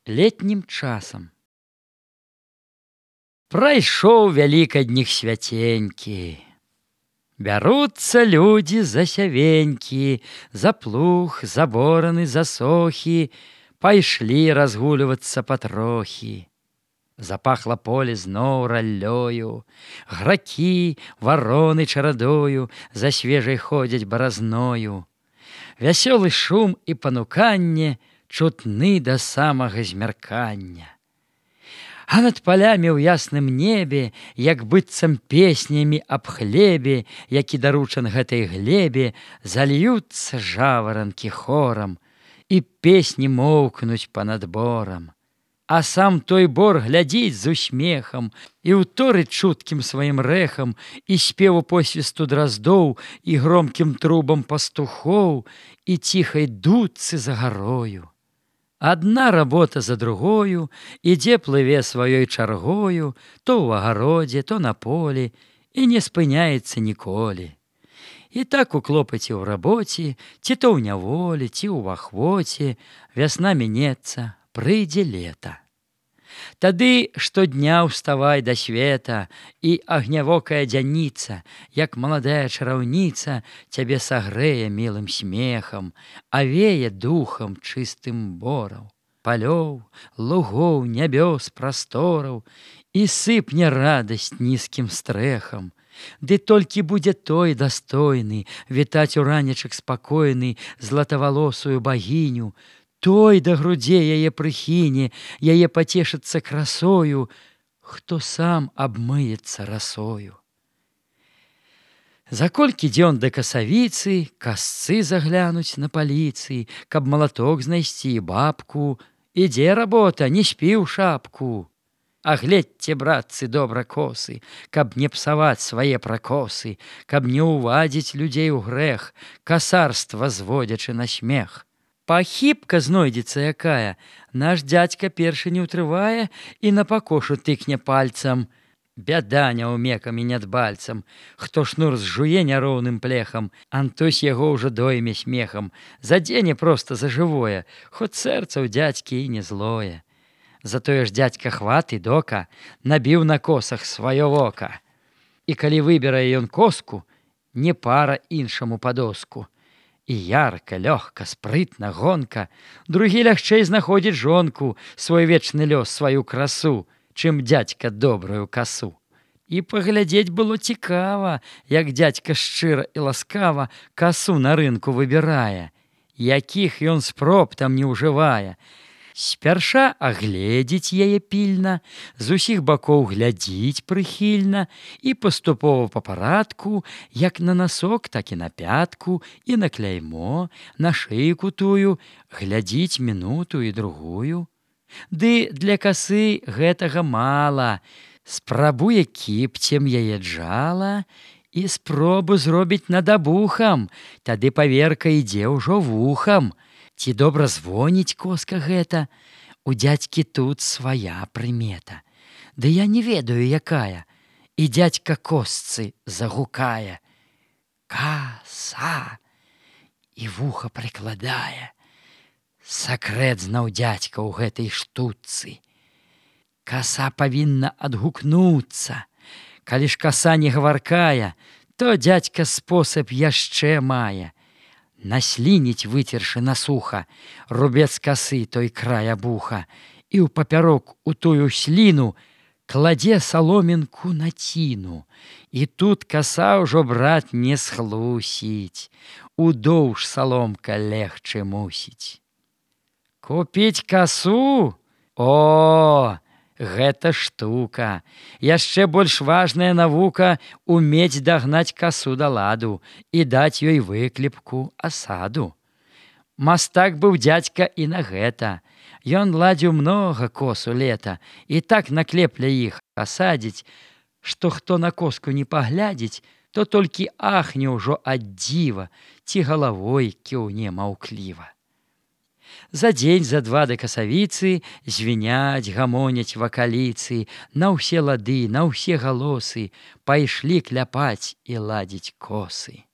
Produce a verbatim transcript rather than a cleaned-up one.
летнім часам. Прайшоў вялікадніх свяценькі. Бяруцца людзі за сявенькі, за плуг, за бораны, за сохі, пайшлі разгульвацца патрохі. Запахла поле зноў раллёю, гракі, вароны чарадою за свежай ходзяць баразною. Вясёлы шум і пануканне чутны да самага змяркання. А над палямі ў ясным небе, як быццам песнямі аб хлебе, які даручан гэтай глебе, зальюцца жаваранкі хорам, і песні моўкнуць па-над борам. А сам той бор глядзіць з усмехам і ўторыць чуткім сваім рэхам і спеву посвісту драздоў і громкім трубам пастухоў і ціхай дудцы за гарою. Адна работа за другою ідзе плыве сваёй чаргою то ў агародзе, то на полі і не спыняецца ніколі. І так у клопаце ў рабоце, ці то ў няволі, ці ў ахвоце вясна мінецца, прыйдзе лета. Тады штодня ўставай да света, і агнявокая дзяніца, як маладая чараўніца, цябе сагрэе мілым смехам, авее духам чыстым бораў, палёў, лугоў, нябёс, прастораў, і сыпне радасць нізкім стрэхам. Ды толькі будзе той дастойны вітаць у ранечак спакойны златавалосую багіню, той да грудзей яе прыхіне, яе пацешыцца красою, хто сам абмыецца расою. За колькі дзён да касавіцы, касцы заглянуць на паліцы, каб малаток знайсці бабку, ідзе работа, не спі ў шапку. А гледзьце, братцы, добра косы, каб не псаваць свае пракосы, каб не ўвадзіць людзей у грэх, касарства зводзячы на смех. Пахібка знойдзецца якая, наш дзядзька першы не ўтрывае і на пакошу тыкне пальцам. Бяда няўмекам і нядбальцам, хто шнур зжуе няроўным плехам, антось яго ўжо дойме смехам, задзене проста за жывое, хоць сэрца ў дзядзькі і не злое. Затое ж дзядзька хваты дока набіў на косах сваё вока. І калі выбірае ён коску, не пара іншаму падоску. І ярка, лёгка, спрытна, гонка, другі лягчэй знаходзіць жонку, свой вечны лёс, сваю красу, чым дзядзька добрую касу. І паглядзець было цікава, як дзядзька шчыра і ласкава касу на рынку выбірае, якіх ён спроб там не ўжывае. Спярша агледзіць яе пільна, з усіх бакоў глядзіць прыхільна і паступова па парадку, як на насок, так і на пятку, і на кляймо, на шыйку тую, глядзіць мінуту і другую. Ды для касы гэтага мала, спрабуе кіпцем яе джала і спробу зробіць над абухам, тады паверка ідзе ўжо вухам. Ці добра звоніць коска гэта? У дзядзькі тут свая прымета. Ды я не ведаю, якая. І дзядзька косцы загукае. Каса! І вуха прыкладае. Сакрэт знаў дзядзька ў гэтай штуцы. Каса павінна адгукнуцца. Калі ж каса не гаваркая, то дзядзька спосаб яшчэ мае. Наслініць, выцершы на суха, рубец касы той край абуха, і ў папярок у тую сліну кладзе саломінку на ціну. І тут каса ўжо, брат, не схлусіць, удоўж саломка легчы мусіць. Купіць касу? О, гэта штука. Яшчэ больш важная навука умець дагнаць касу да ладу і даць ёй выклепку, асаду. Мастак быў дзядзька і на гэта. Ён ладзіў многа косу лета і так наклепля іх асадзіць, што хто на коску не паглядзіць, то толькі ахне ўжо ад дзіва ці галавой кіўне маўкліва. За дзень, за два да касавіцы звіняць, гамоняць вакаліцы, на ўсе лады, на ўсе галосы пайшлі кляпаць і ладзіць косы.